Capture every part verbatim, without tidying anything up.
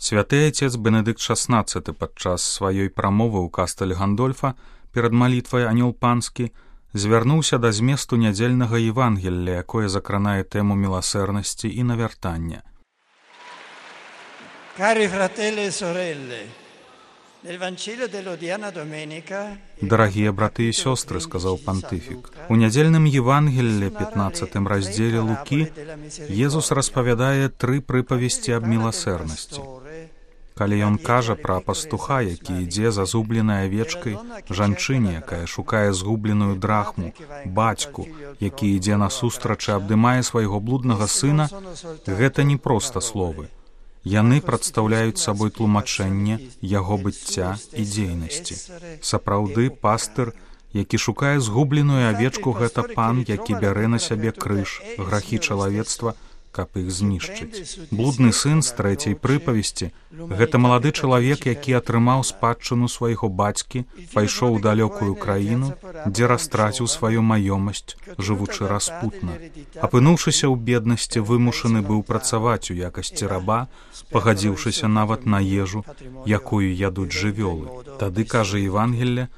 Святы отец Бенедыкт шаснаццаты падчас сваёй прамовы ў кастэль Гандольфа перад малітвай «Анёл панскі» звярнуўся да зместу нядзельнага Евангелля, якое закранае тэму міласэрнасці і навяртання. Cari fratelli e sorelle, nel Vangelo dell'odierna domenica, Дарагія браты і сёстры, сказаў пантыфік, у нядзельным Евангеллі, пятнаццатым раздзеле Лукі, Езус распавядае тры прыпавесці аб міласэрнасці. Калі ён кажа пра пастуха, які ідзе за згубленай авечкай, жанчыне, якая шукае згубленую драхму, бацьку, які ідзе насустрач і абдымае свайго блуднага сына, гэта не проста словы. Яны прадстаўляюць сабой тлумачэнне яго быцця і дзейнасці. Сапраўды, пастыр, які шукае згубленую авечку, гэта пан, які бярэ на сябе крыж, грахі чалавецтва, каб іх знішчыць. Блудны сын з трэцяй прыпавесці — гэта малады чалавек, які атрымаў спадчыну свайго бацькі, пайшоў у далёкую краіну, дзе растраціў сваю маёмасць, жывучы распутна. Апынуўшыся ў беднасці, вымушаны быў працаваць у якасці раба, пагадзіўшыся нават на ежу, якую ядуць жывёлы. Тады, кажа Евангелле,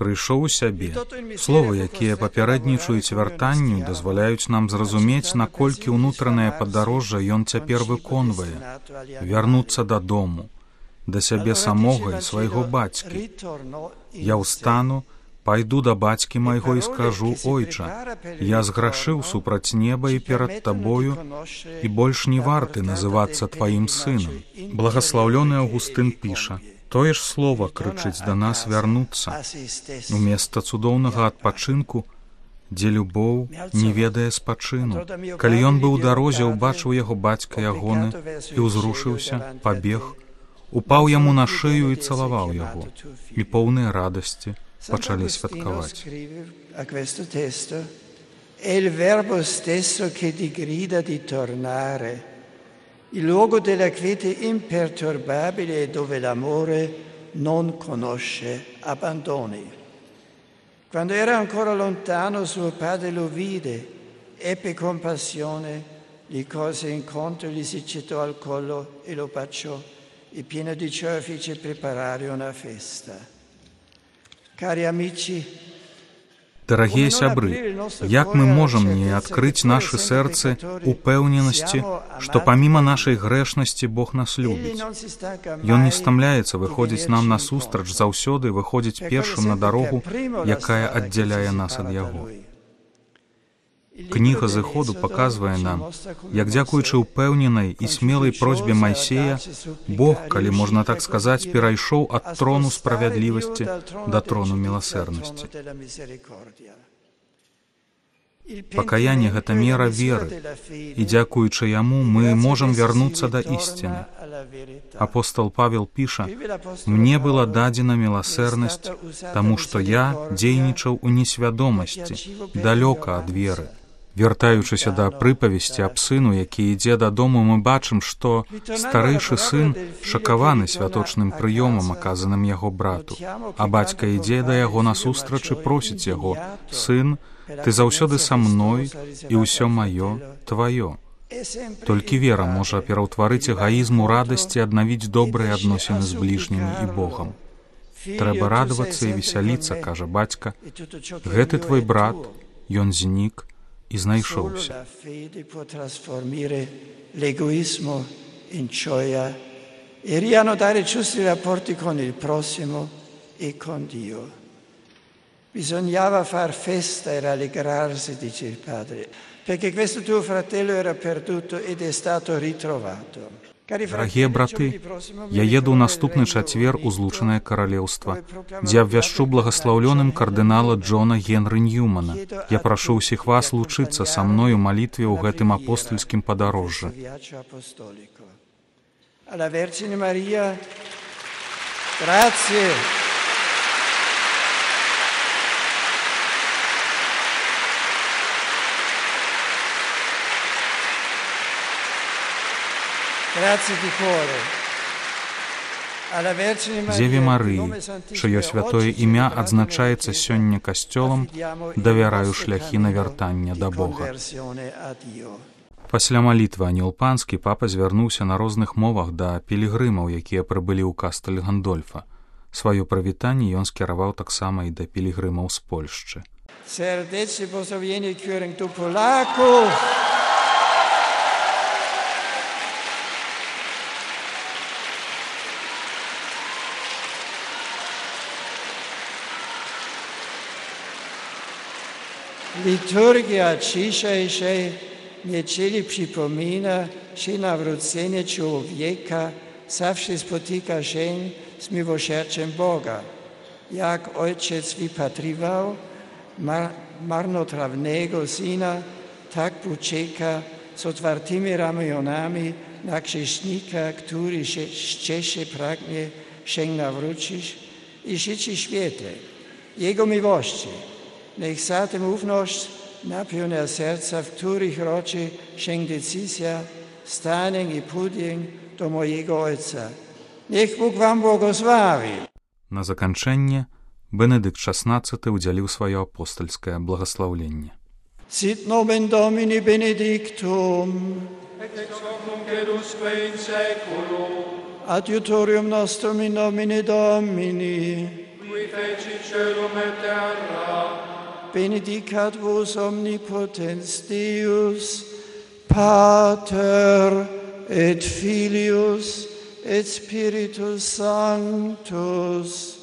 прыйшоў у сябе. Словы, якія папярэднічаюць вяртанню, дазваляюць нам зразумець, наколькі ўнутранае падарожжа ён цяпер выконвае. Вярнуцца дадому, да сябе самога і свайго бацькі. Я ўстану, пайду да бацькі майго і скажу: «Ойча, я зграшыў супраць неба і перад табою, і больш не варты называцца тваім сынам». Благаслаўлёны Аўгустын піша: «Тое ж слова крычыць да нас вярнуцца, уместа цудоўнага адпачынку, дзе любоў не ведае спачыну». Калі ён быў у дарозе, убачыў яго бацька ягоны і ўзрушыўся, пабег, упаў яму на шыю і цалаваў яго, і поўныя радасці пачалі святкаваць. Il luogo della quiete imperturbabile dove l'amore non conosce abbandoni. Quando era ancora lontano, suo padre lo vide, ebbe compassione, gli corse incontro, gli si gettò al collo e lo baciò, e pieno di gioia fece preparare una festa. Cari amici, Дарагія сябры, як мы можам не адкрыць нашы сэрцы упэўненасці, што паміма нашай грэшнасці Бог нас любіць. Ён не стамляецца выходзіць нам насустрач, заўсёды выходзіць першым на дарогу, якая аддзяляе нас ад яго. Кніга Зыходу паказвае нам, як дзякуючы ўпэўненай і смелай просьбе Майсея, Бог, калі можна так сказаць, перайшоў ад трону справядлівасці да трону міласэрнасці. Пакаянне — гэта мера веры, і дзякуючы яму мы можам вярнуцца да ісціны. Апостол Павел піша: «Мне была дадзена міласэрнасць, таму што я дзейнічаў у несвядомасці, далёка ад веры». Вяртаючыся да прыпавесці аб сыну, які ідзе дадому, мы бачым, што старэйшы сын шакаваны святочным прыёмам, аказаным яго брату, а бацька ідзе да яго насустрач і просіць яго: «Сын, ты заўсёды са мной, і ўсё маё тваё». Толькі вера можа пераўтварыць эгаізм у радасць і аднавіць добрыя адносіны з бліжнімі і Богам. Трэба радавацца і весяліцца, кажа бацька. Гэты твой брат, ён знік і знайшоўся. L'egoismo in gioia e riannodare giusti rapporti con il prossimo e con Dio. Bisognava far festa e rallegrarsi, dice il padre, perché questo tuo fratello era perduto ed è stato ritrovato. Дарагія браты, я еду ў наступны чацвер у Злучанае Каралеўства, дзе абвяшчу благаслаўлёным кардынала Джона Генры Ньюмана. Я прашу ўсіх вас лучыцца са мной у малітве ў гэтым апостольскім падарожжы. Дзеве Марыі, чыё святое імя адзначаецца сёння касцёлам, давяраю шляхі навяртання да Бога. Пасля малітвы Анёл Панскі папа звярнуўся на розных мовах да пілігрымаў, якія прыбылі ў Кастэль Гандольфа. Сваё прывітанне ён скіраваў таксама і да пілігрымаў з Польшчы. Serdecznie pozdrowienie kierunek do Polaków. Liturgia dzisiejszej niedzieli przypomina, że nawrócenie człowieka zawsze spotyka się z miłosierdziem Boga. Jak ojciec wypatrywał mar- marnotrawnego syna, tak poczeka z otwartymi ramionami na grzesznika, który się szczerze pragnie się nawrócić i życie świetle Jego miłości. Niech zatem ufność napełnia serca, w których rodzi się decyzja stania i pójścia do mojego Ojca. Niech Bóg wam błogosławi. На заканчэнне Бенедыкт шаснаццаты ўдзяліў сваё апостальскае благаслаўленне. Sit nomen Domini benedictum. Et ex hoc nunc et usque in saeculum. Adiutorium nostrum in nomine Domini. Qui feci caelum et terra. Benedicat vos omnipotens Deus, Pater et Filius et Spiritus Sanctus.